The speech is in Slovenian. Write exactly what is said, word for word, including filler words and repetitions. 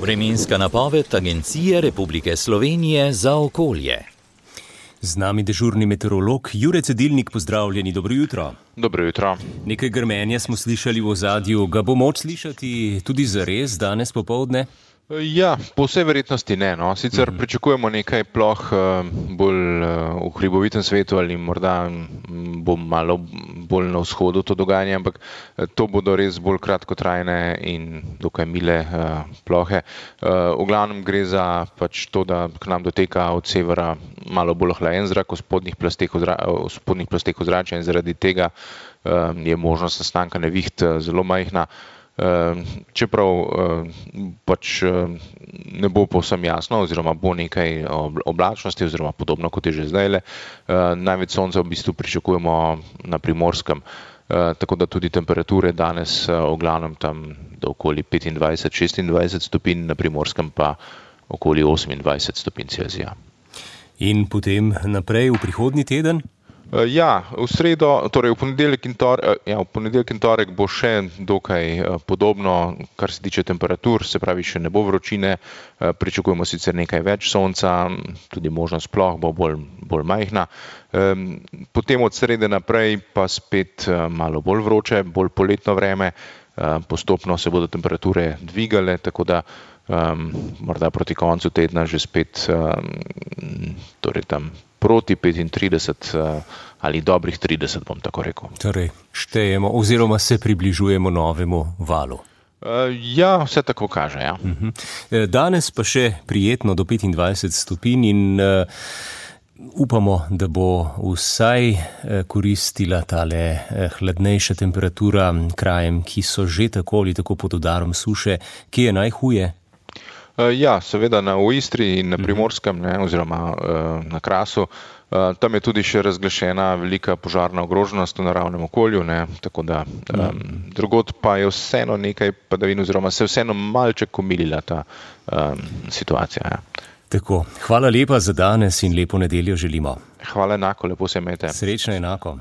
Vremenska napoved Agencije Republike Slovenije za okolje. Z nami dežurni meteorolog Jure Cedilnik, pozdravljeni, dobro jutro. Dobro jutro. Nekaj grmenja smo slišali v ozadju, ga bo moč slišati tudi zares danes popoldne? Ja, po vsej verjetnosti ne. No. Sicer mm-hmm. pričakujemo nekaj ploh bolj v hribovitem svetu ali morda bo malo bolj na vzhodu to dogajanje, ampak to bodo res bolj kratkotrajne in dokaj mile plohe. V glavnem gre za pač to, da k nam doteka od severa malo bolj ohlajen zrak v spodnjih plasteh ozračja in zaradi tega je možnost nastanka neviht zelo majhna. Čeprav pač ne bo povsem jasno oziroma bo nekaj oblačnosti oziroma podobno kot je že zdajle. Največ sonca v bistvu pričakujemo na Primorskem, tako da tudi temperature danes v glavnem tam do okoli petindvajset šestindvajset stopinj, na Primorskem pa okoli osemindvajset stopinj Celzija. In potem naprej v prihodnji teden? Ja, v sredo, torej v ponedeljek in torek, ja, v ponedeljek in torek bo še dokaj podobno, kar se tiče temperatur, se pravi še ne bo vročine, pričakujemo sicer nekaj več sonca, tudi možnost ploh bo bolj, bolj majhna. Potem od srede naprej pa spet malo bolj vroče, bolj poletno vreme, postopno se bodo temperature dvigale, tako da um, morda proti koncu tedna že spet um, torej tam proti petintrideset ali dobrih trideset, bom tako rekel. Torej, štejemo oziroma se približujemo novemu valu. Ja, vse tako kaže, ja. Danes pa še prijetno do petindvajset stopinj in uh, upamo, da bo vsaj koristila tale hladnejša temperatura krajem, ki so že tako ali tako pod udarom suše. Kje je najhuje? Ja, seveda na v Istri in na Primorskem, ne, oziroma na Krasu. Tam je tudi še razglašena velika požarna ogroženost v naravnem okolju, ne, tako da um, drugod pa je vseeno nekaj padavin oziroma se vseeno malček omilila ta um, situacija. Ja. Tako, hvala lepa za danes in lepo nedeljo želimo. Hvala enako, lepo se imejte. Srečno enako.